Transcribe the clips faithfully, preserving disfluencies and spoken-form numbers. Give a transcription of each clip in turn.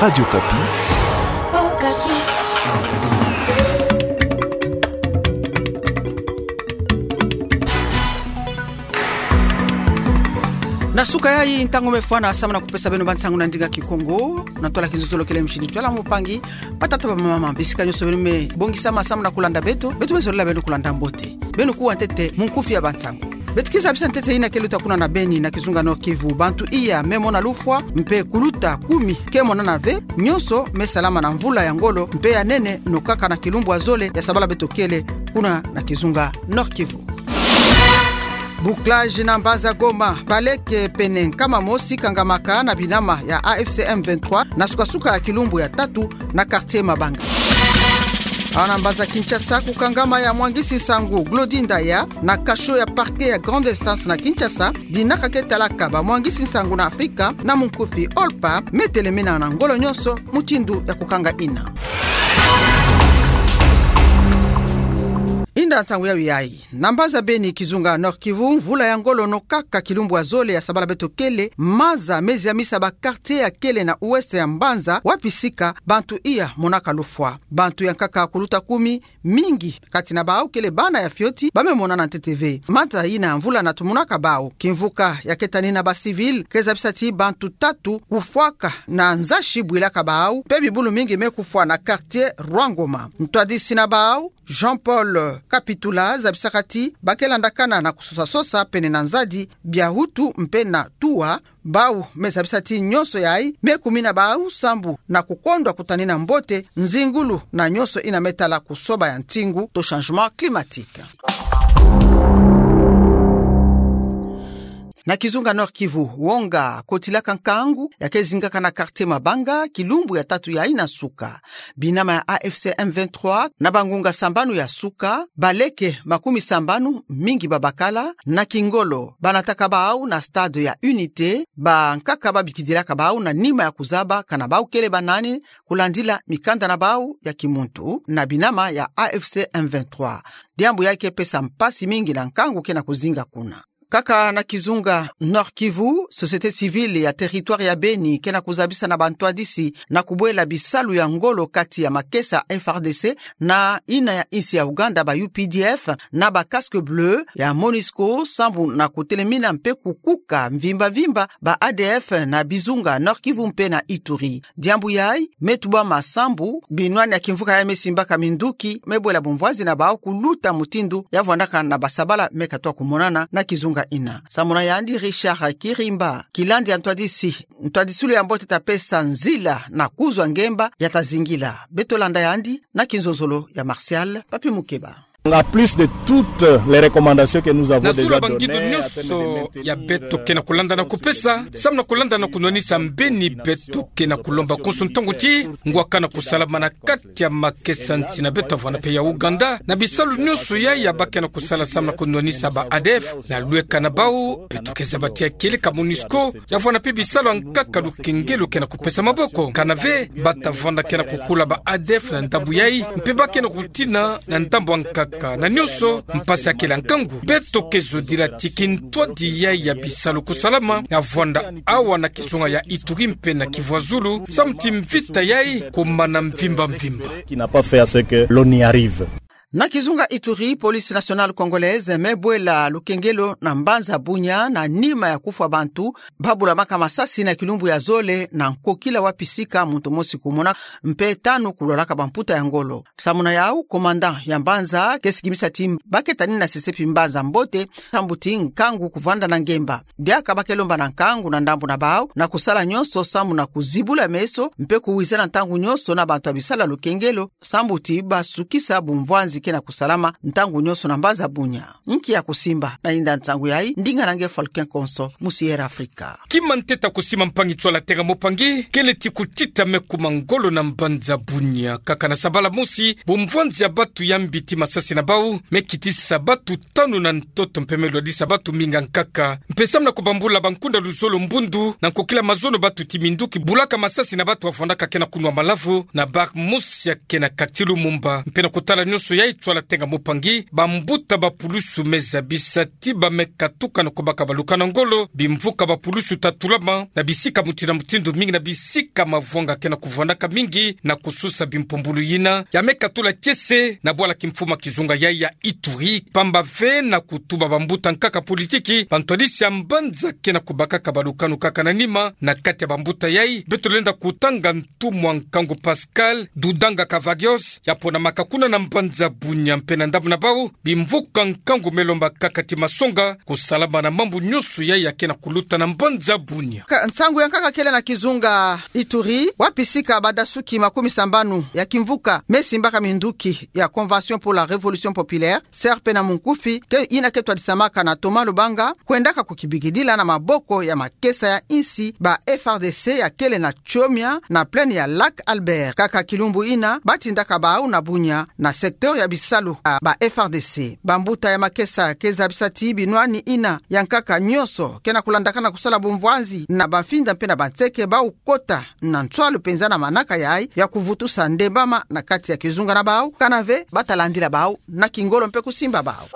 Radio Okapi. Na suka yayi, ntangu me fwana samu na kupesa beno bansangu na ndinga Kikongo, na ntwala kizolokele. Misie ni Ntwala Mpangi. Batata, bamama, bisika nyonso beno me bongisama samu na kulanda beto, beto me zolila beno kulanda mbote. Beno kuwa ntete munkufi ya bansangu. Beto ke zabisa ntete ina ke luta kuna na Beni, na kizunga Nord-Kivu. Bantu iya me mona lufwa, mpe kuluta kumi ke monana ve. Nyonso me salama na mvula ya ngolo mpe ya nene, no kaka na kilumbu ya zole ya sabala beto kele, kuna na kizunga Nord-Kivu. Bouclage na mbanza Goma. Baleke pene nkama mosi kangamaka na binama ya A F C M vingt-trois na suka-suka ya kilumbu ya tatu na quartier Mabanga. Awa na mbanza Kinshasa, kukangama ya mwangisi nsangu Glody Ndaya na cachot ya parquet ya grande instance na Kinshasa, dinaka ke talaka bamwangisi nsangu na Afrika na munkufi, OLPA, me telemena na ngolo nyonso mutindu ya kukanga ina. Inda nsangu yayi yayi. Na mbanza Beni, kizunga Nord-Kivu, mvula ya ngolo no kaka kilumbu ya zole ya sabala beto kele, maza me ziamisa ba quartier ya kele na ouest ya mbanza, wapi sika bantu iya monaka lufwa. Bantu ya nkaka kuluta kumi, mingi kati na bawu kele bana ya fioti, ba me monana ntete ve. Maza ina ya mvula na tumunaka bawu. Kimvuka ya ke tanina ba civil ke zabisa ti bantu tatu kufwaka na nzazi bwilaka bawu, mpe bibulu mingi me kufwa na quartier Rwangoma. Ntwadisi na bawu, Jean-Paul Kapitula, zabisaka ti ba ke landakana na kusosa-sosa pene na nzadi, bia wutu mpe na tuwa. Bawu me zabisa ti nyonso yayi me kumina bawu sambu na kukondwa kutanina mbote nzingulu na nyonso ina me tala kusoba ya ntingu to changement climatique. Na kizunga Nord-Kivu, wonga kotilaka nkangu ya ke zingaka na quartier Mabanga, kilumbu ya tatu yayi na suka. Binama ya A F C M vingt-trois, na bangunga sambanu ya suka, baleke makumi sambanu, mingi babakala, na kingolo ba nataka bawu na stade ya Unité, bankaka ba bikidilaka bawu na nima ya kuzaba kana bawu kele ba nani, kulandila mikanda na bawu ya kimuntu, na binama ya A F C M vingt-trois. Diambu yayi ke pesa mpasi mingi na nkangu ke na kuzinga kuna. Kaka na kizunga Nord-Kivu, société civile ya territoire ya Beni ke na kuzabisa na bantwadisi na kubwela bisalu ya ngolo kati ya makesa F R D C na ina ya insi ya Ouganda, ba U P D F, na ba casques bleus ya MONUSCO, sambu na kutelemina mpe kukuka mvimba-mvimba ba A D F na bizunga Nord-Kivu mpe na Ituri. Diambu yayi me tubama sambu binwani ya kimvuka yayi me simbaka minduki me bwela bumvwanzi na bawu kuluta mutindu ya vwandaka na basabala me katwa kumonana na kizunga ina. Samuna yandi Richard Kirimba, kilandi ya ntwadisi, ntwadisilu ya mbote ta pesa nzila na kuzwa ngemba ya ta zingila. Beto landa yandi na kinzonzolo ya Martial Papi Mukeba. En plus de toutes les recommandations que nous avons déjà données, na zulu ya bangindu nyonso ya beto ke na kulanda na kupesa, samu na kulanda na kunwanisa mbeni, beto ke na kulomba konso ntangu ti ngwakana kusalama na kati ya makesa nsi na beto, avwanda mpe ya Ouganda, na bisalu nyonso yayi ya ba ke na kusala samu na kunwanisa ba A D F na lweka na bawu. Beto ke zaba ti ya kieleka MONUSCO, ya vwanda mpe bisalu ya nkaka lukengelo ke na kupesa maboko. Kana ve, ba ta vwanda ke na kukula ba A D F na ndambu yayi, mpe ba ke na kutina na ndambu ya nkaka. Na nyonso, mpasi ya kele ya nkangu. Beto ke zodila ti kintwadi yayi ya bisalu kusalama, ya vwanda awa na kizunga ya Ituri mpe na Kivu ya Zulu, samu ti mvita yayi kumana mvimba-mvimba. Qui n'a pas fait à ce que l'on y arrive. Na kizunga Ituri, Police Nationale Congolaise me bwela lukengelo na mbanza Bunia na nima ya kufwa bantu ba bulamaka masasi na kilumbu ya zole na nkokila wapi sika muntu mosi kumona, mpe tanu kulwalaka bamputa ya ngolo. Samuna yawu, commandant ya mbanza ke sikimisa ti ba ke tanina sesepi mbanza mbote, sambu ti nkangu kuvwanda na ngemba. Diaka ba ke lomba na nkangu na ndambu na bawu na kusala nyonso sambu na kuzibula meso mpe kuwizana ntangu nyonso na bantu ya bisalu ya lukengelo, sambu ti ba sukisa bumvwanzi ke na kusalama ntangu nyonso na mbanza Bunia. Nki ya kusimba na yinda nsangu yayi? Ndinga na nge Falcon Konso, mu Sierra Africa. Kima ntete ya kusimba, mpangi ntwala, terrain, mpangi, kele ti kutita me kuma ngolo na mbanza Bunia. Kaka na sabala mosi, bumvwanzi ya batu ya mbiti masasi na bawu me kitisa batu tanu na ntoto mpe me lwadisa batu mingi ya nkaka. Mpe samu na kubambula bankunda luzolo mbundu, na nkokila mazono batu ti minduki bulaka masasi na batu ya vwandaka ke na kunwa malavu na bar mosi ya ke na quartier Lumumba. Mpe na kutala nyonso yayi, Ntwala tenga mupangi, bambuta ba pulusu me zabisa ti ba me katuka na kubaka baluka na ngolo bimvuka ba pulusu tatulama na bisika mutindu na mutindu mingi na bisika mavwanga ke na kuvwandaka mingi na kususa bimpumbulu yina ya me katula kiese na bwala kimfuma kizunga yayi ya Ituri, pamba ve na kutuba bambuta nkaka politiki bantwadisi ya mbanza ke na kubakaka balukanu kaka na nima. Na kati ya bambuta yayi beto lenda kutanga ntumwa nkangu Pascal Dudanga Cavagios, ya ponamaka kuna na mbanza Bunia mpe na ndambu na bau bimvuka nkangu me lomba kaka ti masonga kusalama na mambu nyonso yayi ya ke na kuluta na mbanza Bunia. Ka-, nsangu ya nkaka kele na kizunga Ituri, wapi sika badasuki makumi sambanu ya kimvuka me simbaka minduki ya Convention pour la Révolution Populaire, C R P na munkufi, ke yina ke twadisamaka na Thomas Lubanga, kwendaka kukibikidila na maboko ya makesa ya insi ba F R D C ya kele na Tchomia na plaine ya Lac Albert. Kaka kilumbu yina batindaka bau na Bunia na secteur ya bisalu ya ba F R D C. Bambuta ya makesa ke zabisa ti binwani yina ya nkaka nyonso ke na kulandakana kusala bumvwanzi na bamfinda mpe na banseke bau kota na ntwalu penza na manaka yayi ya kuvutusa ndembama na kati ya kizunga na bau, kana ve bata landila bau na kingolo mpe kusimba bau.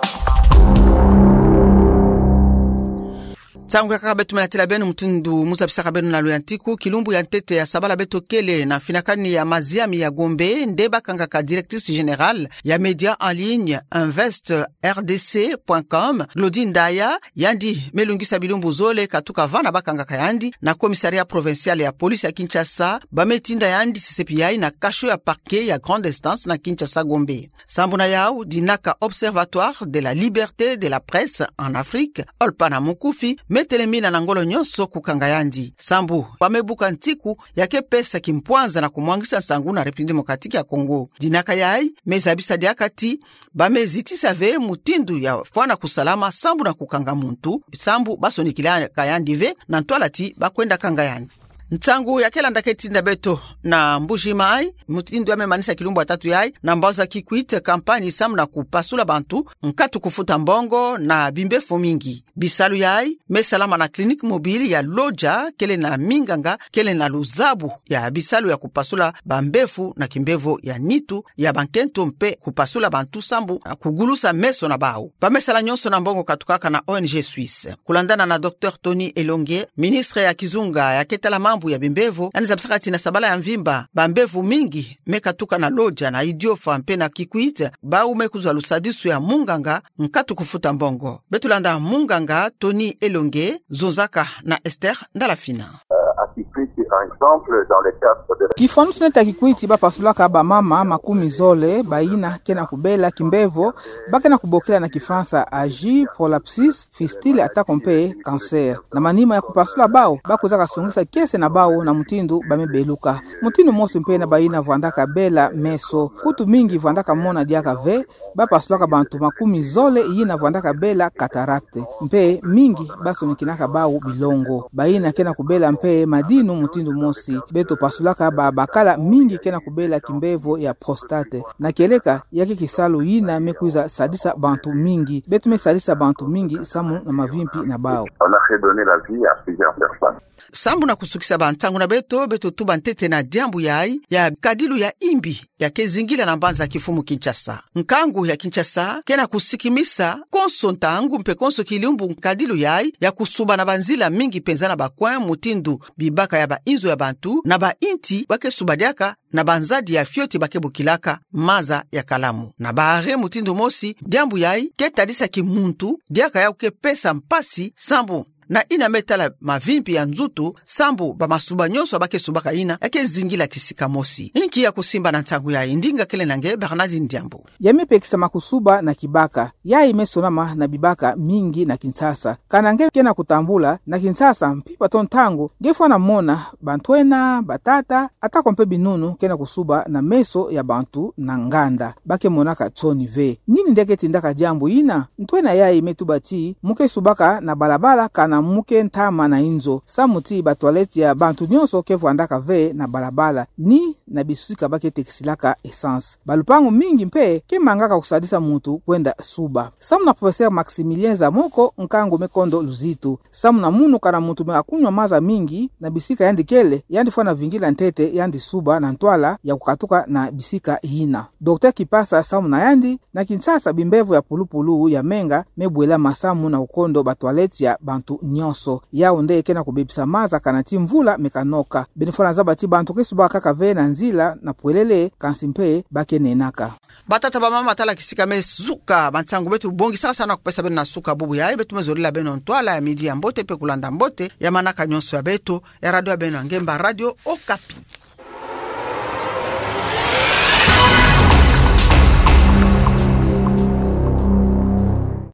Nsangu ya nkaka beto me natila beno mutindu mu zabisaka beno na luyantiku, kilumbu ya ntete ya sabala beto kele na finakani ya maziami ya Gombe, nde bakangaka directrice générale ya média en ligne invest R D C point com, Glody Ndaya, yandi me lungisa bilumbu zole katuka vana bakangaka yandi na commissariat provincial ya police ya Kinshasa, ba me tinda yandi sesepi yayi na cachot ya parquet ya grande instance na Kinshasa Gombe. Sambu na yau, dinaka Observatoire de la Liberté de la Presse en Afrique, OLPA na munkufi, me telemina na ngolo nyonso kukanga yandi. Sambu ba me buka ntiku ya ke pesa kimpwanza na kumwangisa nsangu na République Démocratique ya Congo. Dinaka yayi me zabisa diaka ti ba me zitisa ve mutindu ya fwana kusalama sambu na kukanga muntu, sambu ba sonikilaka yandi ve na ntwala ti ba kwenda kanga yandi. Nsangu ya ke landa ke tinda beto na Mbuji Mayi, mutindu ya me manisa kilumbu ya tatu yayi, na mbazi ya Kikwit, kampani sambu na kupasula bantu nkatu kufuta mbongo na bimbevo mingi. Bisalu yayi me salama na clinique mobile ya Lodja, kele na minganga kele na luzabu ya bisalu ya kupasula bambevo na kimbevo ya nitu, ya bankento mpe kupasula bantu sambu na kugulusa meso na bau. Ba me sala nyonso na mbongo katukaka na O N G Suisse. Kulandana na Docteur Tony Elongue, ministre ya kizunga ya ke tala mambu ya bimbevo, yandi zabisaka ti na sabala ya mvimba, bambevo mingi me katuka na Lodja, na Idiofa mpe na Kikwit, bau me kuzwa lusadisu ya munganga nkatu kufuta mbongo. Beto landa munganga Tony Elongue, zonzaka na Esther Ndalafina. Euh, à Kikwit, par exemple, dans le cadre de la... Kifwanusu neti ya Kikwit, ba pasulaka bamama makumi zole, bayina ke na kubela kimbevo, ba ke na kubokila na Kifalansa âgé, prolapsus, fistule, atako mpe cancer. Na manima ya kupasula bau, ba kwizaka songisa kiese na bau na mutindu ba me beluka. Mutindu mosi mpe na bayina vwandaka bela meso. Kutu mingi vwandaka mona diaka ve, ba pasulaka bantu makumi zole yina vwandaka bela cataracte. Mpe mingi ba sonikinaka bau bilongo. Bayina ke na kubela mpe madinu mutindu mosi. Beto pasulaka babakala mingi ke na kubela kimbevo ya prostate. Na kieleka, ya ke kisalu yina me kwiza sadisa bantu mingi. Beto me sadisa bantu mingi samu na mavimpi na bau. On a fait donner la vie à plusieurs personnes. Sambu na kusukisa bansangu na beto, beto tuba ntete na diambu yayi ya nkadilu ya imbi ya ke zingila na mbanza ya kimfumu Kinshasa. Nkangu ya Kinshasa ke na kusikimisa konso ntangu mpe konso kilumbu nkadilu yayi ya kusuba na banzila mingi penza na ba coin, mutindu bibaka ya bainzo ya bantu, na bainti ba ke suba diaka na banzadi ya fioti ba ke bokilaka maza ya kalamu. Na ba arrêt mutindu mosi, diambu yayi ke tadisa kimuntu diaka ya ke pesa mpasi sambu na yina me tala mavimpi ya nzutu, sambu bamasuba nyonso ba ke subaka yina ya ke zingila kisika mosi. Inki ya kusimba na nsangu yayi? Ndinga kele na nge, Bernardine Diambu. Ya me pekisa makusuba na kibaka. Yayi me sonama na bibaka mingi na Kinshasa. Kana nge ke na kutambula na Kinshasa, mpimpa to ntangu nge fwana mona bantwenya, batata, atako mpe binunu ke na kusuba na meso ya bantu na nganda. Ba ke monaka nsoni ve. Nini nde ke tindaka diambu yina? Ntwenya yayi me tuba ti mu ke subaka na balabala kana muke ntama na inzo, samu ti batoilette ya bantu nyonso ke vwandaka ve na balabala, ni na bisika ba ke tekisilaka essence. Balupangu mingi mpe ke mangaka kusadisa muntu kwenda suba. Samu na professeur Maximilien Zamoko, nkangu me kondo luzitu. Samu na munu kana muntu me akunwa maza mingi na bisika yandi kele, yandi fwana vingila ntete yandi suba na ntwala ya kukatuka na bisika yina. Docteur Kipasa, samu na yandi, na Kinshasa bimbevo ya pulupulu ya menga me bwela masamu na kukondo batoilette ya bantu nyonso. Yau nde ke na kubebisa maza kana ti mvula me kanoka. Beno fwana zaba ti bantu ke subaka kaka ve na nzila na pwelele, kansi mpe ba ke nenaka. Batata, bamama, tala kisika me suka bansangu beto bongisaka sa na kupesa beno na suka bubu yayi. Beto me zolila beno ntwala ya midi ya mbote mpe kulanda mbote ya manaka nyonso ya beto ya radio ya beno ya ngemba, Radio Okapi.